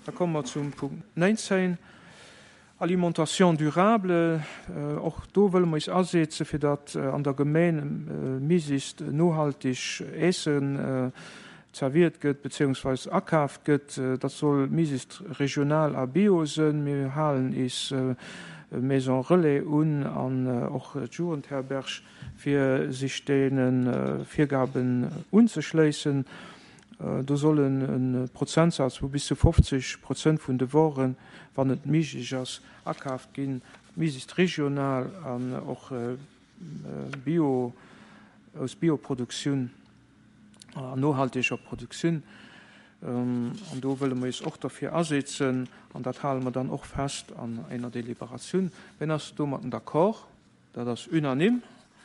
Da komme mer zum Punkt 19, Alimentation durable. Och do wëlle mer eis asetzen, fir datt an der Gemeng méiglechst nohaltig Äessen zerwiert gëtt beziehungsweis akaaft gëtt. Dat soll méiglechst regional a bio sënn. Mir halen eis Maison Relais un an och d'Jugendherberg, fir sech deene Virgaben unzeschléissen. Do soll e Prozentsaz vu bis zu 50 Prozent vun de Woren, wann et méiglech ass, akaaft ginn, méiglechst regional an och bio, aus Bioproduktioun an nohalteger Produktioun. An do wëlle mer eis och derfir asetzen an dat hale mer dann och fest an einer Deliberatioun. Wien ass domatten d'accord? Dat ass unanime.